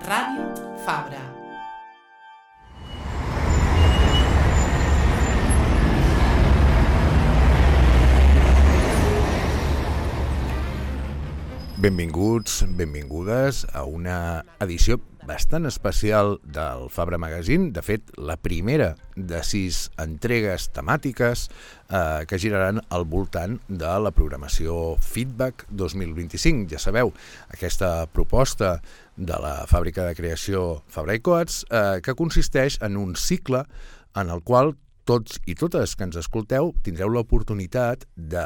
Ràdio Fabra. Benvinguts, benvingudes a una edició bastant especial del Fabra Magazine. De fet, la primera de 6 entregues temàtiques que giraran al voltant de la programació Feedback 2025. Ja sabeu, aquesta proposta de la fàbrica de creació Fabra i Coats que consisteix en un cicle en el qual tots i totes que ens escolteu tindreu l'oportunitat de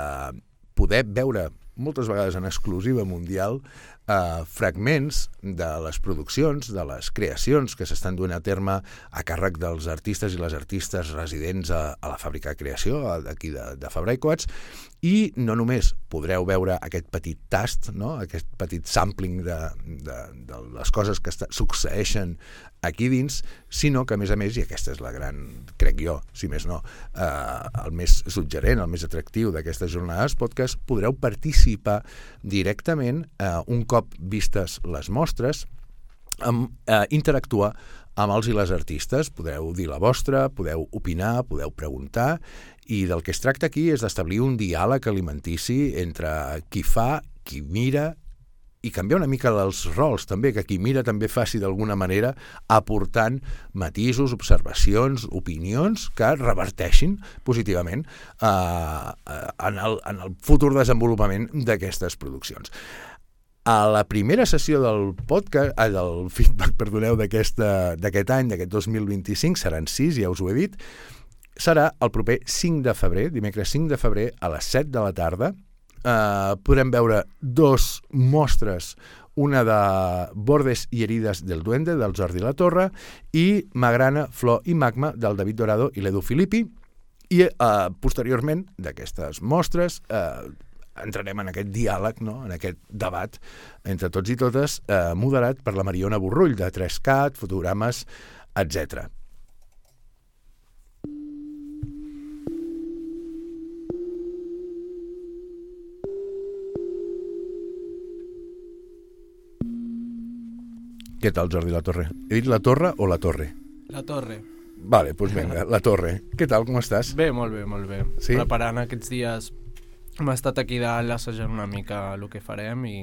poder veure moltes vegades en exclusiva mundial, fragments de les produccions, de les creacions que s'estan duent a terme a càrrec dels artistes i les artistes residents a la fàbrica de creació d'aquí de Fabra i Coats, i no només podreu veure aquest petit tast, no? Aquest petit sampling de les coses que succeeixen aquí dins, sinó que, a més, i aquesta és la gran, crec jo, si més no, el més suggerent, el més atractiu d'aquestes jornades podcast, podreu participar directament un cop vistes les mostres, interactuar amb els i les artistes. Podeu dir la vostra, podeu opinar, podeu preguntar, i del que es tracta aquí és d'establir un diàleg alimentici entre qui fa, qui mira, i canviar una mica els rols també, que qui mira també faci d'alguna manera aportant matisos, observacions, opinions que reverteixin positivament en el futur desenvolupament d'aquestes produccions. A la primera sessió del feedback, d'aquest any, d'aquest 2025, seran 6, ja us ho he dit, serà el proper 5 de febrer, dimecres 5 de febrer, a les 7 de la tarda. Podrem veure 2 mostres, una de Bordes i herides del duende, del Jordi Latorre, i Magrana, Flor i Magma, del David Dorado i l'Edu Filippi, i posteriorment d'aquestes mostres entrarem en aquest diàleg, no? En aquest debat entre tots i totes, moderat per la Mariona Borrull, de 3CAT, fotogrames, etc. Què tal, Jordi Latorre? He dit la Torre o la Torre? La Torre. Vale, doncs vinga, la Torre. Què tal, com estàs? Bé, molt bé, molt bé. Sí? Preparant aquests dies, hem estat aquí dalt assajant una mica el que farem i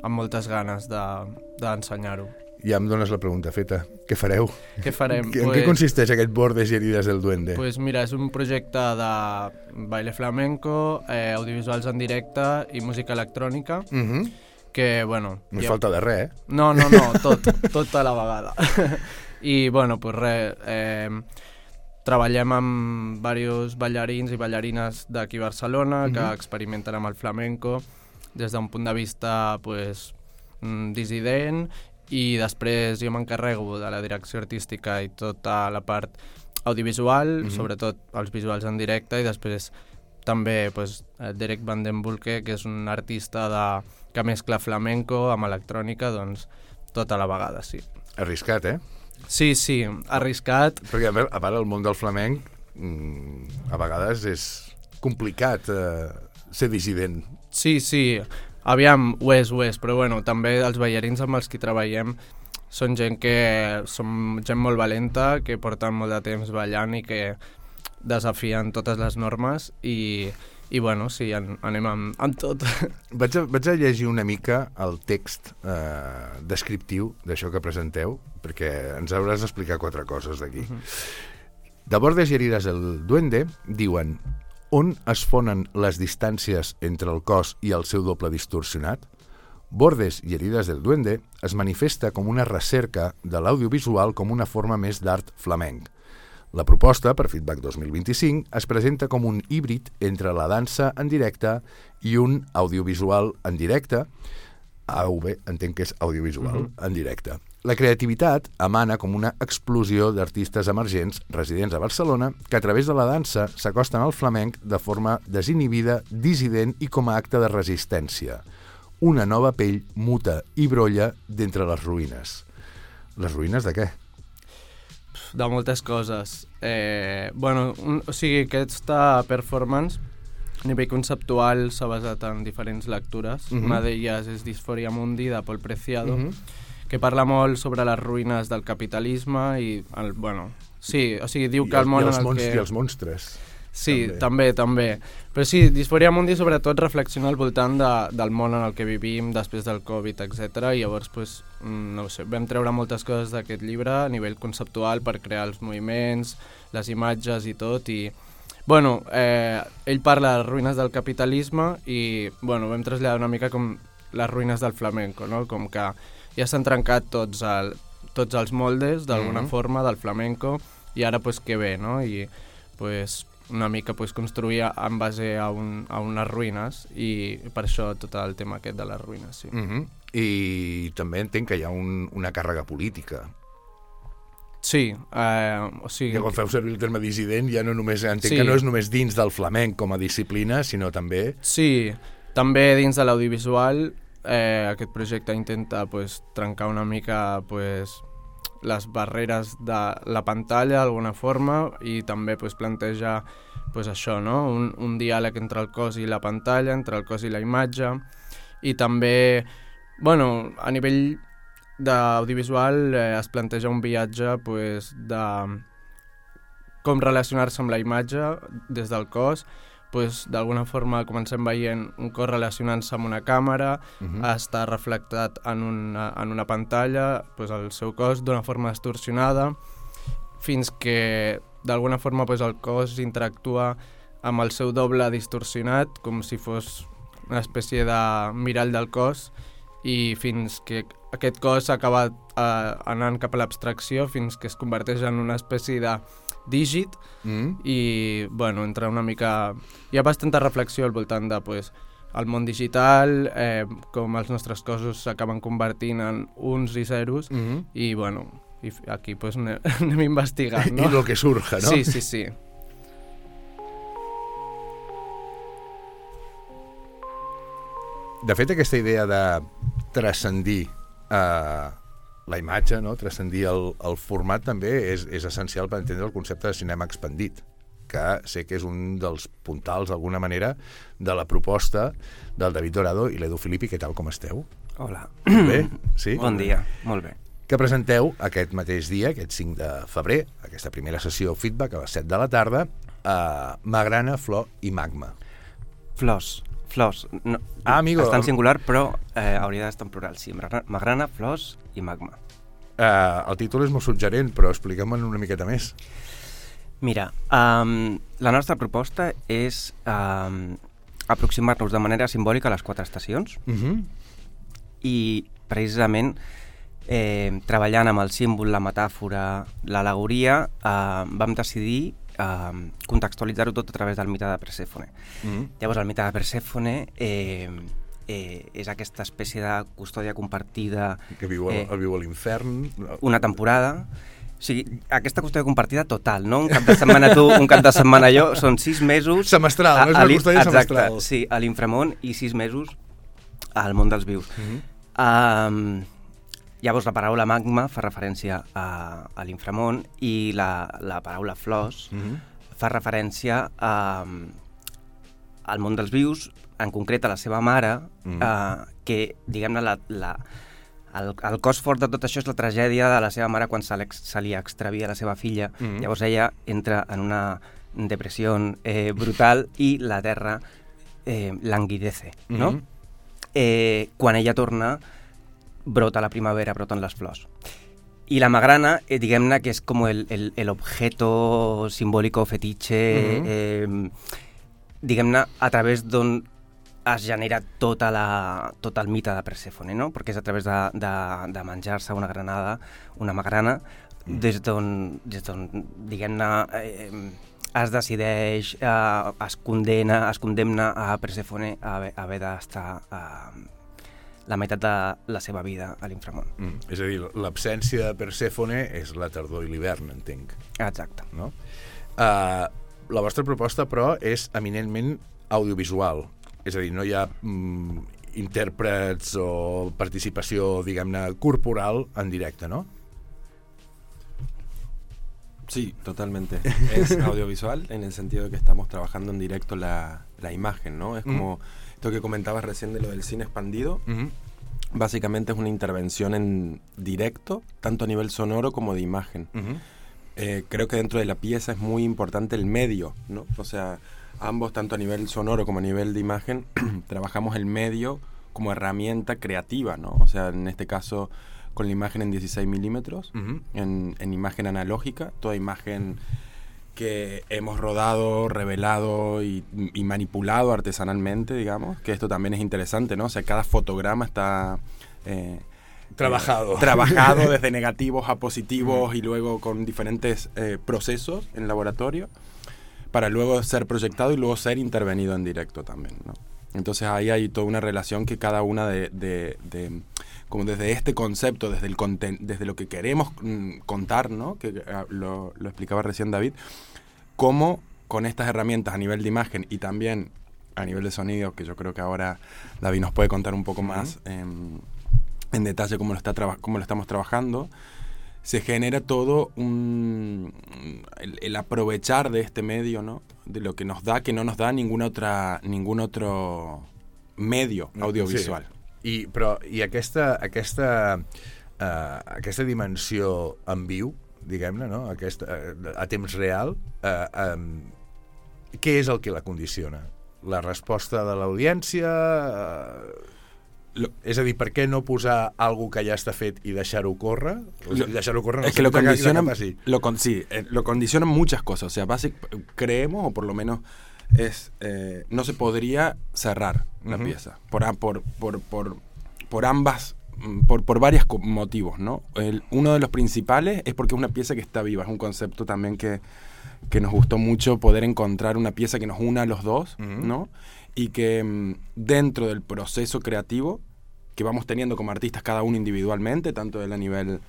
amb moltes ganes d'ensenyar-ho. Ja em dones la pregunta feta. Què fareu? Què farem? En què consisteix aquest Bordes i herides del duende? Pues mira, és un projecte de baile flamenco, audiovisuals en directe i música electrònica, que, bueno... No falta de res, No, tot a la vegada. I, bueno, pues res, treballem amb diversos ballarins i ballarines d'aquí a Barcelona que experimenten amb el flamenco des d'un punt de vista pues, dissident, i després jo m'encarrego de la direcció artística i tota la part audiovisual, sobretot els visuals en directe, i després també pues, Derek Van den Bulke, que és un artista que mescla flamenco amb electrònica, doncs tot a la vegada, sí. Arriscat, Sí, arriscat. Perquè a part el món del flamenc a vegades és complicat ser dissident. Sí, aviam, ho és, però bueno, també els ballarins amb els que treballem són gent molt valenta, que porten molt de temps ballant i que desafien totes les normes i bueno, sí, anem amb tot. Vaig a llegir una mica el text descriptiu d'això que presenteu, perquè ens hauràs d'explicar 4 coses d'aquí. De Bordes i herides del duende diuen: on es fonen les distàncies entre el cos i el seu doble distorsionat? Bordes i herides del duende es manifesta com una recerca de l'audiovisual com una forma més d'art flamenc. La proposta per Feedback 2025 es presenta com un híbrid entre la dansa en directe i un audiovisual en directe. AV, entenc que és audiovisual en directe. La creativitat emana com una explosió d'artistes emergents residents a Barcelona que a través de la dansa s'acosten al flamenc de forma desinhibida, dissident i com a acte de resistència. Una nova pell muta i brolla d'entre les ruïnes. Les ruïnes de què? De moltes coses. Aquesta performance a nivell conceptual s'ha basat en diferents lectures. Una d'elles és Disforia Mundi, de Pol Preciado, que parla molt sobre les ruïnes del capitalisme i, sí, o sigui, diu que el món en el que... I els monstres. Sí, també. Però sí, Disforia Mundi sobretot reflexiona al voltant del món en el que vivim després del Covid, etc. I llavors, pues, no ho sé, vam treure moltes coses d'aquest llibre a nivell conceptual per crear els moviments, les imatges i tot. I, ell parla de les ruïnes del capitalisme i, vam traslladar una mica com les ruïnes del flamenco, no? Com que ja s'han trencat tots els moldes, d'alguna forma, del flamenco, i ara, pues, què ve, no? I, pues, una mica construir en base a unes ruïnes i per això tot el tema aquest de les ruïnes, sí. I també entenc que hi ha una càrrega política. Sí, o sigui... Que quan feu servir el terme dissident ja no només, entenc que no és només dins del flamenc com a disciplina, sinó també... Sí, també dins de l'audiovisual aquest projecte intenta trencar una mica les barreres de la pantalla d'alguna forma i també planteja això, no? Un diàleg entre el cos i la pantalla, entre el cos i la imatge, i també, a nivell d'audiovisual es planteja un viatge de com relacionar-se amb la imatge des del cos. D'alguna forma comencem veient un cos relacionant-se amb una càmera, està reflectat en una pantalla, el seu cos d'una forma distorsionada, fins que d'alguna forma el cos interactua amb el seu doble distorsionat, com si fos una espècie de mirall del cos, i fins que aquest cos acaba anant cap a l'abstracció, fins que es converteix en una espècie de dígit i, entra una mica... Hi ha bastanta reflexió al voltant de, el món digital, com els nostres cossos s'acaben convertint en uns i zeros, i, i aquí anem investigant, no? I lo que surja, no? Sí. De fet, aquesta idea de transcendir la imatge, no? Transcendir el format també és essencial per entendre el concepte de cinema expandit, que sé que és un dels puntals, d'alguna manera, de la proposta del David Dorado i l'Edu Filippi. Què tal, com esteu? Hola. Bé? Sí? Bon dia, molt bé. Que presenteu aquest mateix dia, aquest 5 de febrer, aquesta primera sessió feedback a les 7 de la tarda, a Magrana, Flor i Magma. Flors. No, amigo. Està en singular, però hauria d'estar en plural, sí. Magrana, flors i magma. El títol és molt suggerent, però expliquem-me'n una miqueta més. Mira, la nostra proposta és aproximar-nos de manera simbòlica a les 4 estacions i precisament treballant amb el símbol, la metàfora, l'al·legoria, vam decidir contextualitzar-ho tot a través del mite de Persèfone. Llavors, el mite de Persèfone és aquesta espècie de custòdia compartida... Que viu a l'infern. Una temporada. O sigui, aquesta custòdia compartida total, no? Un cap de setmana tu, un cap de setmana jo, són 6 mesos... Semestral, no és una custòdia semestral. Exacte, sí, a l'inframón i 6 mesos al món dels vius. Llavors, la paraula magma fa referència a l'inframón i la paraula flors fa referència al món dels vius, en concret a la seva mare, que, diguem-ne, el cos fort de tot això és la tragèdia de la seva mare quan se li extravia la seva filla. Llavors ella entra en una depressió brutal i la terra languidece, no? Quan ella torna, brota la primavera, broten les flors. Y la magrana, diguem-ne que és com el objeto simbólico fetiche, diguem-ne, a través d'on es genera tot el mite de Persèfone, no? Perquè és a través de menjar-se una granada, una magrana, des d'on diguem-ne, es decideix, es condemna a Persèfone a haver d'estar la meitat de la seva vida a l'inframón. És a dir, l'absència de Persèfone és la tardor i l'hivern, entenc. Exacte. No? La vostra proposta, però, és eminentment audiovisual. És a dir, no hi ha intèrprets o participació, diguem-ne, corporal en directe, ¿no? Sí, totalmente. Es audiovisual en el sentido de que estamos trabajando en directo la imagen, ¿no? Es como esto que comentabas recién de lo del cine expandido. básicamente es una intervención en directo, tanto a nivel sonoro como de imagen. Creo que dentro de la pieza es muy importante el medio, ¿no? O sea, ambos, tanto a nivel sonoro como a nivel de imagen, trabajamos el medio como herramienta creativa, ¿no? O sea, en este caso, con la imagen en 16 milímetros, en imagen analógica, toda imagen que hemos rodado, revelado y manipulado artesanalmente, digamos, que esto también es interesante, ¿no? O sea, cada fotograma está... trabajado desde negativos a positivos y luego con diferentes procesos en laboratorio para luego ser proyectado y luego ser intervenido en directo también, ¿no? Entonces ahí hay toda una relación que cada una como desde este concepto, desde lo que queremos contar, ¿no? Que lo explicaba recién David, cómo con estas herramientas a nivel de imagen y también a nivel de sonido, que yo creo que ahora David nos puede contar un poco más en detalle cómo lo estamos trabajando, se genera todo el aprovechar de este medio, ¿no? De lo que nos da, que no nos da ningún otro medio audiovisual. Sí. I aquesta dimensió en viu, diguem-ne, no? A temps real, què és el que la condiciona? La resposta de l'audiència... És a dir, per què no posar algo que ja està fet y deixar-ho córrer? Deixar-ho córrer, es que lo condicionan muchas cosas. O sea, creemos, o por lo menos no se podría cerrar la pieza por varios motivos, ¿no? Uno de los principales es porque es una pieza que está viva. Es un concepto también que nos gustó mucho, poder encontrar una pieza que nos una a los dos, ¿no? Y que dentro del proceso creativo que vamos teniendo como artistas cada uno individualmente, tanto a nivel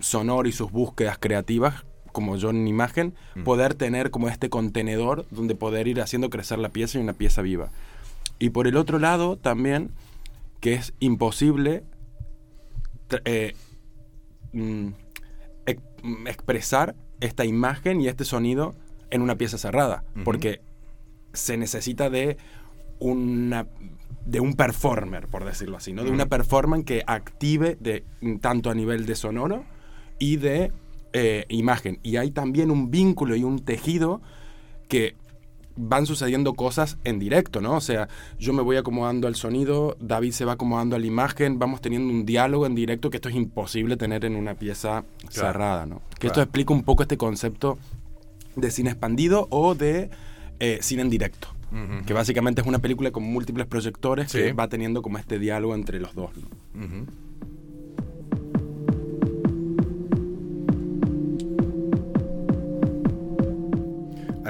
sonoro y sus búsquedas creativas, como yo en imagen, poder tener como este contenedor donde poder ir haciendo crecer la pieza y una pieza viva. Y por el otro lado también, que es imposible expresar esta imagen y este sonido en una pieza cerrada, porque se necesita de un performer, por decirlo así, ¿no? De una performance que active tanto a nivel de sonoro y de imagen. Y hay también un vínculo y un tejido que van sucediendo cosas en directo, ¿no? O sea, yo me voy acomodando al sonido, David se va acomodando a la imagen, vamos teniendo un diálogo en directo que esto es imposible tener en una pieza cerrada, ¿no? Que esto explica un poco este concepto de cine expandido o de cine en directo. Que básicamente es una película con múltiples proyectores que va teniendo como este diálogo entre los dos, ¿no?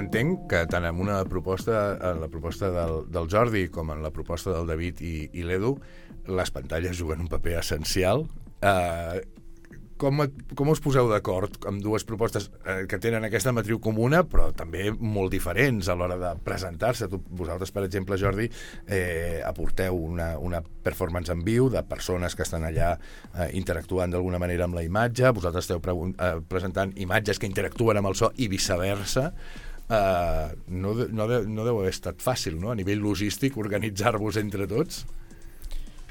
Entenc que tant en la proposta del Jordi com en la proposta del David i l'Edu, les pantalles juguen un paper essencial. Com us poseu d'acord amb dues propostes que tenen aquesta matriu comuna però també molt diferents a l'hora de presentar-se? Vosaltres, per exemple, Jordi, aporteu una performance en viu de persones que estan allà interactuant d'alguna manera amb la imatge, vosaltres esteu presentant imatges que interactuen amb el so i viceversa. No deu haver estat fàcil, no?, a nivell logístic, organitzar-vos entre tots.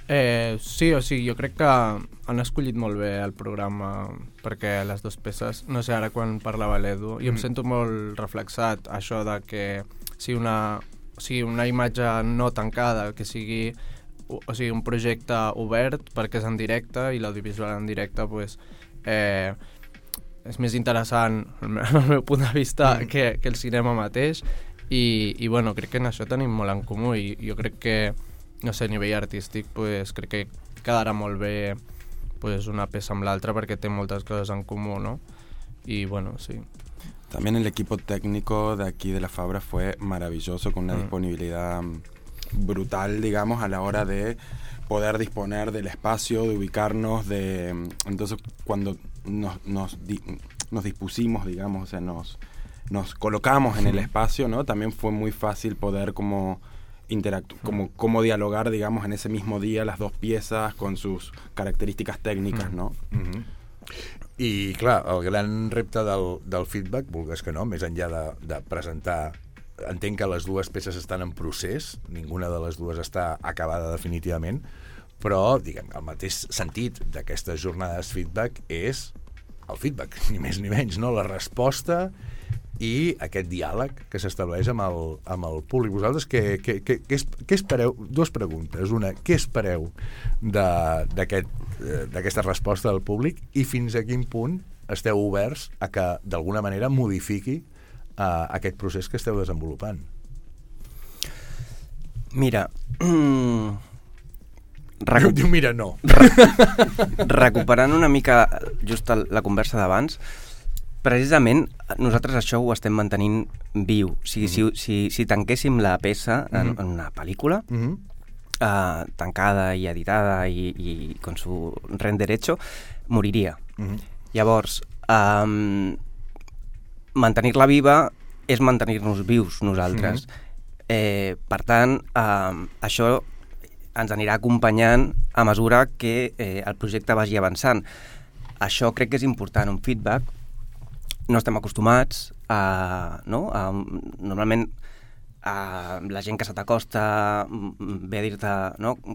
Sí, o sigui, jo crec que han escollit molt bé el programa perquè les dues peces, no sé, ara quan parlava l'Edu, jo em sento molt reflexat això de que sigui una imatge no tancada, que sigui un projecte obert perquè és en directe i l'audiovisual en directe pues, és més interessant al meu punt de vista que el cinema mateix i bueno, crec que en això tenim molt en comú i jo crec que no sé, a nivell artístic pues, crec que quedarà molt bé pues, una peça amb l'altra perquè té moltes coses en comú, ¿no? Y bueno, sí. También el equipo técnico de aquí de la Fabra fue maravilloso, con una disponibilidad brutal, digamos, a la hora de poder disponer del espacio, de ubicarnos, entonces cuando nos dispusimos, digamos, o sea, nos colocamos en el espacio, ¿no? También fue muy fácil poder como como dialogar, digamos, en ese mismo día las dos piezas con sus características técnicas, ¿no? I, clar, el gran repte del feedback, vulgues que no, més enllà de presentar... Entenc que les dues peces estan en procés, ninguna de les dues està acabada definitivament, però, diguem, el mateix sentit d'aquestes jornades feedback és el feedback, ni més ni menys, no? La resposta i aquest diàleg que s'estableix amb el públic. Vosaltres què espereu? Dues preguntes. Una, què espereu d'aquesta resposta del públic i fins a quin punt esteu oberts a que d'alguna manera modifiqui aquest procés que esteu desenvolupant? Mira... Diu, mira, no. Recuperant una mica just la conversa d'abans, precisament nosaltres això ho estem mantenint viu. O sigui, si tanquéssim la peça en una pel·lícula, tancada i editada i con su render hecho, moriria. Llavors, mantenir-la viva és mantenir-nos vius nosaltres. Per tant, això ens anirà acompanyant a mesura que el projecte vagi avançant. Això crec que és important, un feedback. No estem acostumats normalment la gent que se t'acosta ve a dir-te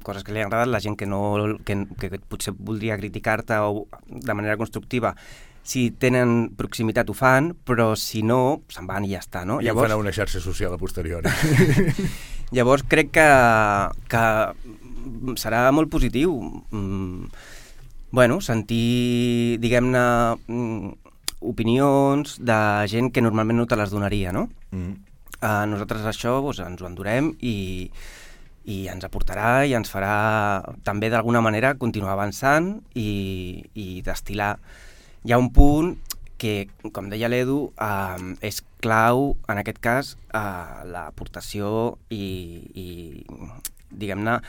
coses que li han agradat, la gent que potser voldria criticar-te o de manera constructiva, si tenen proximitat ho fan, però si no, se'n van i ja està, no? I llavors, ho fan a una xarxa social a posteriori. Llavors crec que serà molt positiu sentir, diguem-ne, opinions de gent que normalment no te les donaria, no? Nosaltres això ens ho endurem i ens aportarà i ens farà també d'alguna manera continuar avançant i destil·lar. Hi ha un punt que, com deia l'Edu, és clau, en aquest cas, l'aportació i diguem-ne,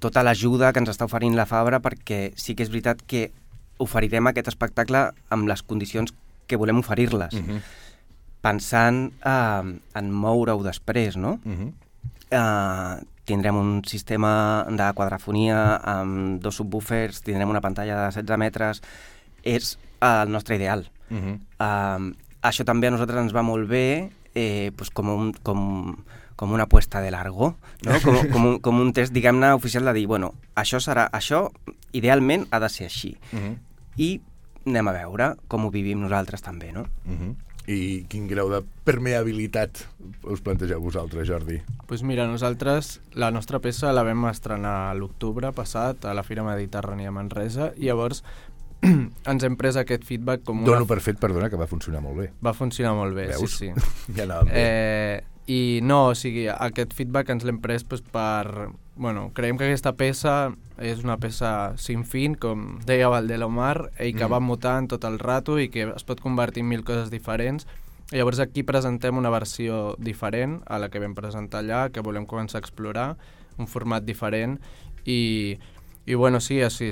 tota l'ajuda que ens està oferint la Fabra, perquè sí que és veritat que oferirem aquest espectacle amb les condicions que volem oferir-les, pensant en moure-ho després, no? Tindrem un sistema de quadrafonia amb 2 subwoofers, tindrem una pantalla de 16 metres, és el nostre ideal. Això també a nosaltres ens va molt bé, com una apuesta de largo, no? com un test, diguem-ne, oficial de dir, això idealment ha de ser així. I anem a veure com ho vivim nosaltres també, no? I quin grau de permeabilitat us plantegeu vosaltres, Jordi? Doncs mira, nosaltres la nostra peça la vam estrenar a l'octubre passat a la Fira Mediterrània a Manresa i llavors ens hem pres aquest feedback com una... Dono per fet, perdona, que va funcionar molt bé. Va funcionar molt bé, veus? Sí. Ja anàvem bé. I no, o sigui, aquest feedback ens l'hem pres per... creiem que aquesta peça és una peça sin fin, com deia Valdelomar, i que va mutant tot el rato i que es pot convertir en 1000 coses diferents. I llavors aquí presentem una versió diferent a la que vam presentar allà, que volem començar a explorar, un format diferent i sí, així,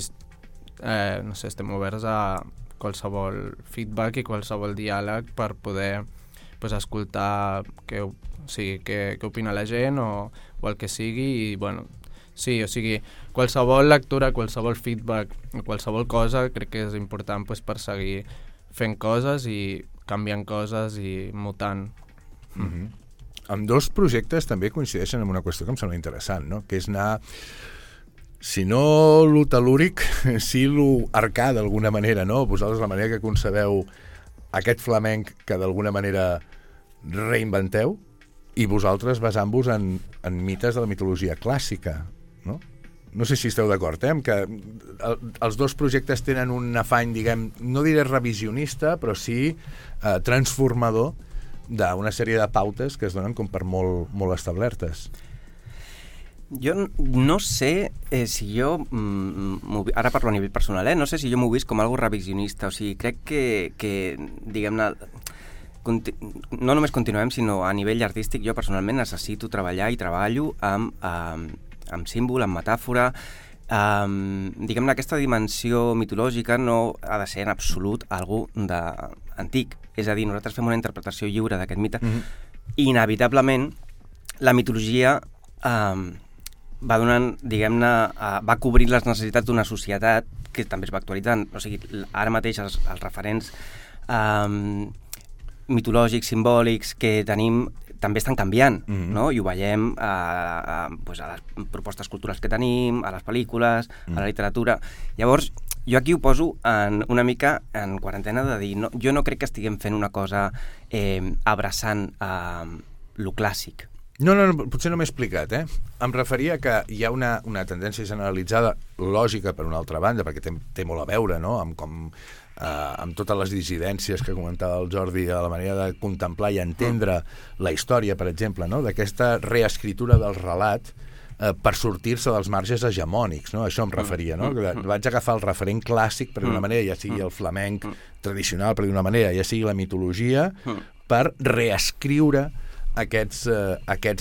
no sé, estem oberts a qualsevol feedback i qualsevol diàleg per poder escoltar què opina la gent o el que sigui i sí, o sigui, qualsevol lectura, qualsevol feedback, qualsevol cosa crec que és important per seguir fent coses i canviant coses i mutant. Amb 2 projectes també coincideixen en una qüestió que em sembla interessant, no? Que és anar, si no lo telúric, si lo arcà d'alguna manera, no? Vosaltres la manera que concebeu aquest flamenc que d'alguna manera reinventeu i vosaltres basant-vos en mites de la mitologia clàssica, no? No sé si esteu d'acord, que els 2 projectes tenen un afany, diguem, no diré revisionista, però sí transformador d'una sèrie de pautes que es donen com per molt establertes. Jo no sé si jo, ara parlo a nivell personal, no sé si jo m'ho vist com algo revisionista, o sigui, crec que diguem-ne, no només continuem, sinó a nivell artístic, jo personalment necessito treballar i treballo amb símbol, amb metàfora. Diguem-ne, aquesta dimensió mitològica no ha de ser en absolut algú antic. És a dir, nosaltres fem una interpretació lliure d'aquest mite i inevitablement la mitologia va donant, diguem-ne, va cobrint les necessitats d'una societat que també es va actualitzant. O sigui, ara mateix els referents mitològics, simbòlics que tenim també estan canviant, no? I ho veiem pues a les propostes culturals que tenim, a les pel·lícules, a la literatura. Llavors, jo aquí ho poso una mica en quarantena de dir, no, jo no crec que estiguem fent una cosa abraçant lo clàssic. No, potser no m'he explicat, eh? Em referia que hi ha una tendència generalitzada, lògica per una altra banda, perquè té molt a veure, no?, amb totes les dissidències que comentava el Jordi, a la manera de contemplar i entendre la història, per exemple, no?, d'aquesta reescritura del relat per sortir-se dels marges hegemònics, no? Això em referia, no? Vaig agafar el referent clàssic, per d'una manera, ja sigui el flamenc tradicional, per d'una manera, ja sigui la mitologia, per reescriure aquests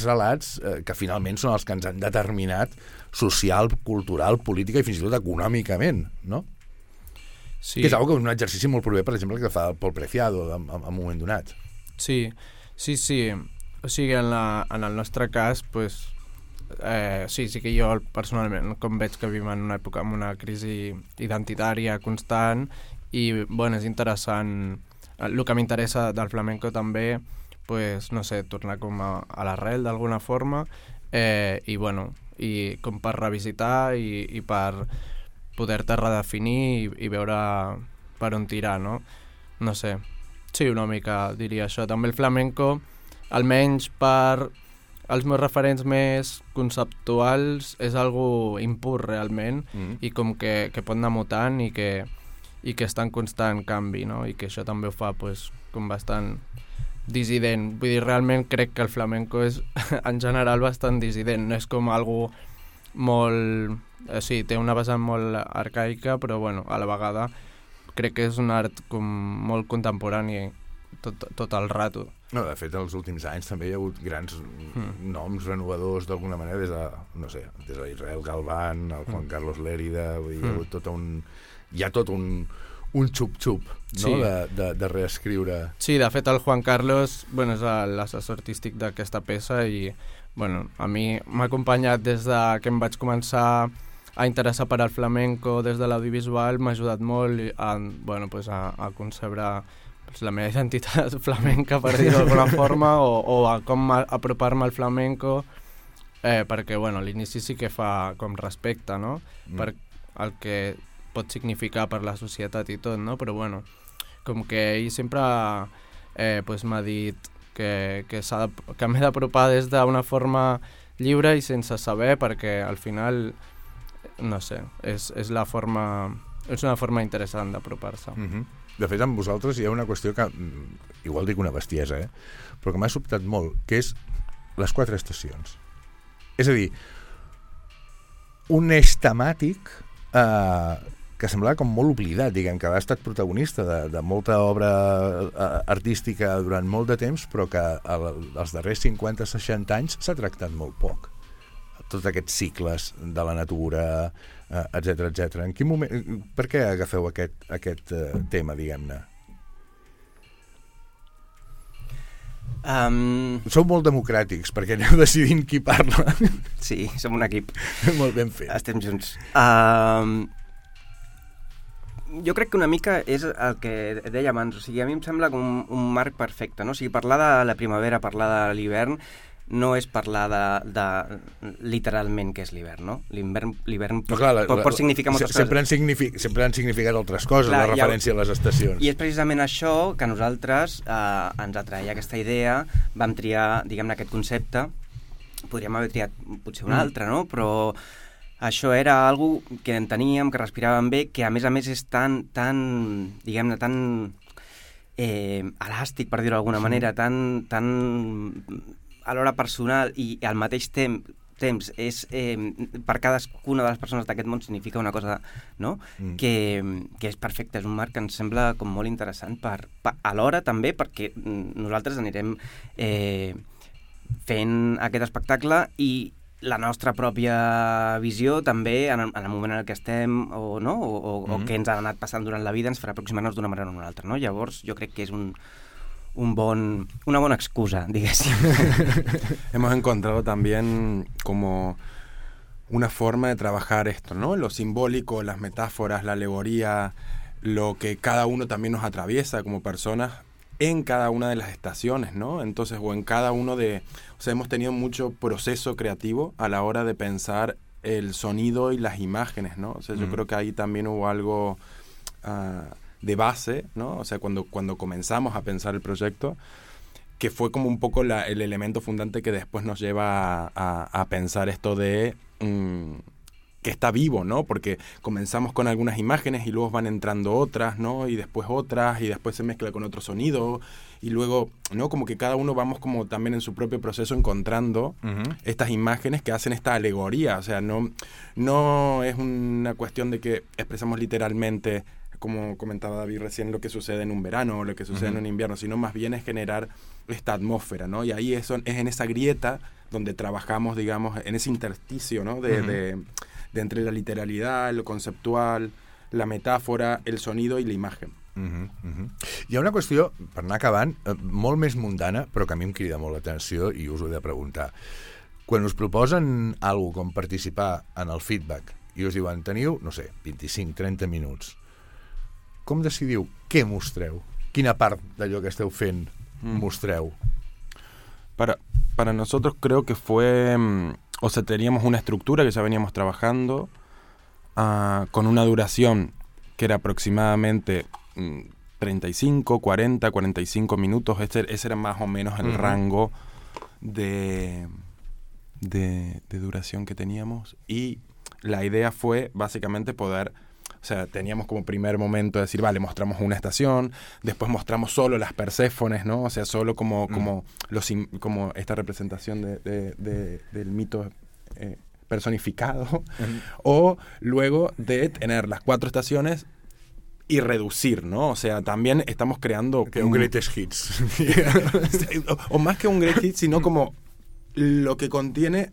relats que finalment són els que ens han determinat social, cultural, política i fins i tot econòmicament, no? Sí. Que és una cosa, un exercici molt proper, per exemple, que fa el Pol Preciado en un moment donat. Sí. O sigui, en el nostre cas, pues, sí que jo personalment, com veig que vivim en una època amb una crisi identitària constant i, bueno, és interessant. El que m'interessa del flamenco també, pues, no sé, tornar com a l'arrel d'alguna forma i, bueno, i com per revisitar i per poder-te redefinir i veure per on tirar, no? No sé. Sí, una mica diria això. També el flamenco, almenys per els meus referents més conceptuals, és algo impur realment i com que pot anar mutant i que està en constant canvi, no? I que això també ho fa, pues, com bastant dissident. Vull dir, realment crec que el flamenco és en general bastant dissident, no és com algo molt... Sí, té una vessant molt arcaica, però bueno, a la vegada crec que és un art com molt contemporani tot el rato. No, de fet, en els últims anys també hi ha hagut grans noms renovadors d'alguna manera, des de, no sé, des d'Israel Galván, el Juan Carlos Lérida, vull dir, hi ha hagut tot un xup-xup, no? Sí. De reescriure. Sí, de fet el Juan Carlos, bueno, és l'assessor artístic d'aquesta peça i, bueno, a mi m'ha acompanyat des de que em vaig començar a interessar per al flamenco des de l'audiovisual, m'ha ajudat molt a concebre la meva identitat flamenca, per dir-ho d'alguna forma, o a com apropar-me al flamenco, perquè, bueno, a l'inici sí que fa com respecte, no?, per el que pot significar per la societat i tot, no?, però, bueno, com que ell sempre m'ha dit que m'he d'apropar des d'una forma lliure i sense saber, perquè al final, no sé, és una forma interessant d'apropar-se. De fet, amb vosaltres hi ha una qüestió que, igual dic una bestiesa, però que m'ha sobtat molt, que és les 4 estacions. És a dir, un eix temàtic que semblava com molt oblidat, diguem, que ha estat protagonista de molta obra artística durant molt de temps, però que els darrers 50-60 anys s'ha tractat molt poc. Tots aquests cicles de la natura, etc. En quin moment, per què agafeu aquest tema, diguem-ne? Sou molt democràtics, perquè aneu decidint qui parla. Sí, som un equip. Molt ben fet. Estem junts. Jo crec que una mica és el que deia abans, o sigui, a mi em sembla com un marc perfecte, no? O sigui, parlar de la primavera, parlar de l'hivern, no és parlar de literalment què és l'hivern, no? L'hivern pot significar moltes coses. Sempre han significat altres coses, la referència a les estacions. I és precisament això que nosaltres ens atreia aquesta idea, vam triar, diguem-ne, aquest concepte, podríem haver triat potser un altre, no? Però això era algo que enteníem, que respiràvem bé, que a més és tan diguem-ne, tan elàstic, per dir-ho d'alguna manera, tan alhora personal i al mateix temps és per cadascuna de les persones d'aquest món significa una cosa, no? Que és perfecte, és un marc que ens sembla com molt interessant alhora també perquè nosaltres anirem fent aquest espectacle i la nostra pròpia visió també en el moment en què estem o què ens ha anat passant durant la vida ens farà aproximar-nos d'una manera o d'una altra, no? Llavors jo crec que és una buena excusa, digamos. Hemos encontrado también como una forma de trabajar esto, ¿no? Lo simbólico, las metáforas, la alegoría, lo que cada uno también nos atraviesa como personas, en cada una de las estaciones, ¿no? Entonces, o en cada uno de... O sea, hemos tenido mucho proceso creativo a la hora de pensar el sonido y las imágenes, ¿no? O sea, yo creo que ahí también hubo algo de base, ¿no? O sea, cuando comenzamos a pensar el proyecto, que fue como un poco el elemento fundante que después nos lleva a pensar esto de... que está vivo, ¿no? Porque comenzamos con algunas imágenes y luego van entrando otras, ¿no? Y después otras, y después se mezcla con otro sonido, y luego, ¿no? Como que cada uno vamos como también en su propio proceso encontrando estas imágenes que hacen esta alegoría. O sea, no es una cuestión de que expresamos literalmente, como comentaba David recién, lo que sucede en un verano o lo que sucede en un invierno, sino más bien es generar esta atmósfera, ¿no? Y ahí es en esa grieta donde trabajamos, digamos, en ese intersticio, ¿no? De entre la literalidad, lo conceptual, la metàfora, el sonido i la imatge. Hi ha una qüestió, per anar acabant, molt més mundana, però que a mi em crida molt l'atenció i us ho he de preguntar. Quan us proposen alguna com participar en el feedback i us diuen, teniu, no sé, 25-30 minuts, com decidiu què mostreu? Quina part d'allò que esteu fent mostreu? Para nosotros creo que fue... O sea, teníamos una estructura que ya veníamos trabajando con una duración que era aproximadamente 35, 40, 45 minutos. Ese era más o menos el rango de duración que teníamos. Y la idea fue básicamente poder... O sea, teníamos como primer momento de decir, vale, mostramos una estación, después mostramos solo las Perséfones, ¿no? O sea, solo como esta representación del mito personificado. O luego de tener las 4 estaciones y reducir, ¿no? O sea, también estamos creando... Que un greatest hits. o más que un greatest hits, sino como lo que contiene...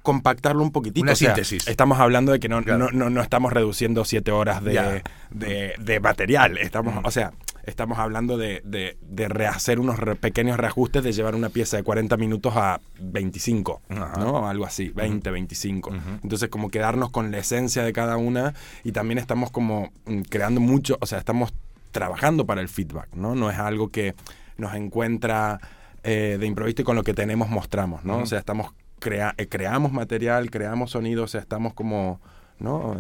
compactarlo un poquitito. Una síntesis. Estamos hablando de que no estamos reduciendo 7 horas de material. Estamos hablando de rehacer unos pequeños reajustes, de llevar una pieza de 40 minutos a 25, ¿no? Algo así, 20, 25. Entonces, como quedarnos con la esencia de cada una, y también estamos como creando mucho, o sea, estamos trabajando para el feedback, ¿no? No es algo que nos encuentra de improviso y con lo que tenemos mostramos, ¿no? O sea, estamos creamos material, creamos sonido, o sea, estamos como, ¿no?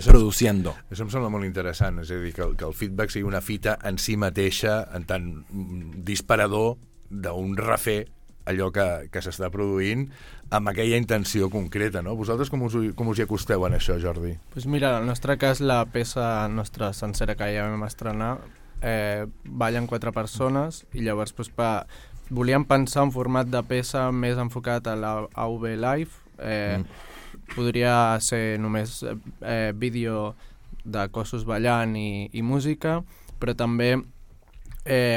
Produciendo. Això em sembla molt interessant, és a dir, que el feedback sigui una fita en si mateixa, en tant disparador d'un refer allò que s'està produint amb aquella intenció concreta, no? Vosaltres com us hi acosteu en això, Jordi? Pues mira, en el nostre cas, la peça nostra sencera que ja vam estrenar ballen 4 persones i llavors pues, volíem pensar un format de peça més enfocat a la AV Live. Podria ser només vídeo de cossos ballant i música, però també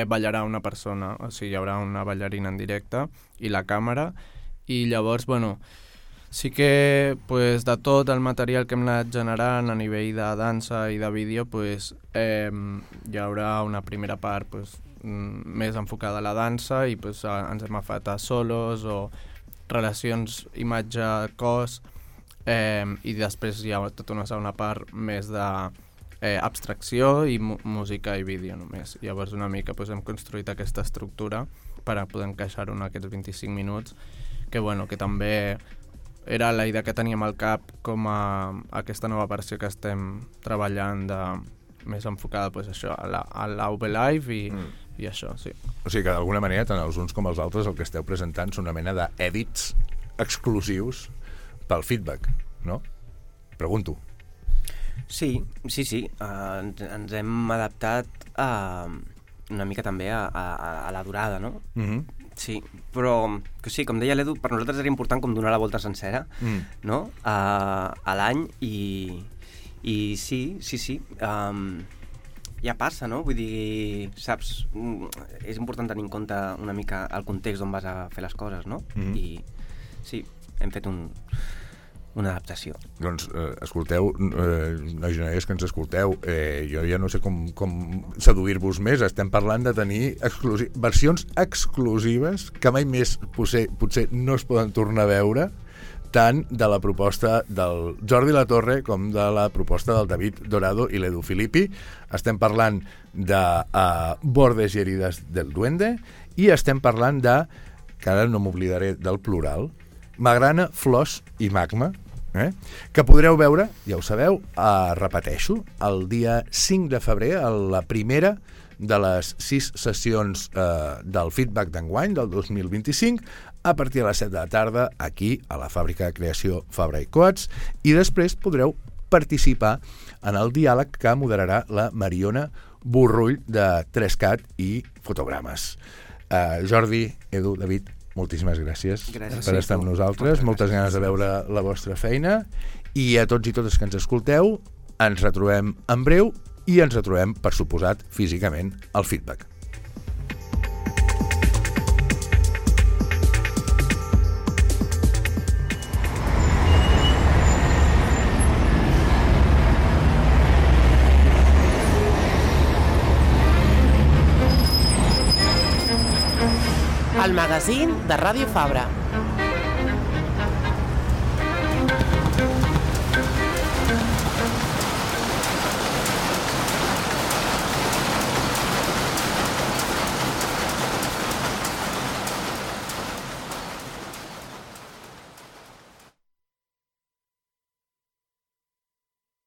ballarà una persona, o sigui, hi haurà una ballarina en directe i la càmera, i llavors, bueno, sí que pues, de tot el material que hem anat generant a nivell de dansa i de vídeo, pues, hi haurà una primera part pues, més enfocada a la dansa i pues, ens hem agafat a solos o relacions imatge-cos i després hi ha tota una segona part més d'abstracció i música i vídeo només. Llavors una mica pues, hem construït aquesta estructura per a poder encaixar-ho en aquests 25 minuts que, bueno, que també era la idea que teníem al cap com a aquesta nova versió que estem treballant més enfocada pues, això, a l'AV Live i això, sí. O sigui que d'alguna manera, tant els uns com els altres, el que esteu presentant són una mena d'èdits exclusius pel feedback, no? Pregunto. Sí. Ens hem adaptat una mica també a la durada, no? Sí, però que sí, com deia l'Edu, per nosaltres era important com donar la volta sencera, no? A l'any i sí. Ja passa, no? Vull dir, saps, és important tenir en compte una mica el context on vas a fer les coses, no? I sí, hem fet una adaptació. Doncs, escolteu, nois i noies que ens escolteu, jo ja no sé com seduir-vos més, estem parlant de tenir versions exclusives que mai més potser no es poden tornar a veure, tant de la proposta del Jordi Latorre com de la proposta del David Dorado i l'Edu Filippi. Estem parlant de Bordes i herides del duende i estem parlant de, que ara no m'oblidaré del plural, Magrana, Flors i Magma, que podreu veure, ja ho sabeu, repeteixo, el dia 5 de febrer, a la primera de les 6 sessions del feedback d'enguany, del 2025, a partir de les 7 de la tarda, aquí, a la fàbrica de creació Fabra i Coats, i després podreu participar en el diàleg que moderarà la Mariona Borrull de 3CAT i Fotogrames. Jordi, Edu, David, moltíssimes gràcies per estar amb nosaltres. Moltes ganes de veure la vostra feina i a tots i totes que ens escolteu ens retrobem en breu i ens retrobem, per suposat, físicament al feedback. El magazín de Ràdio Fabra.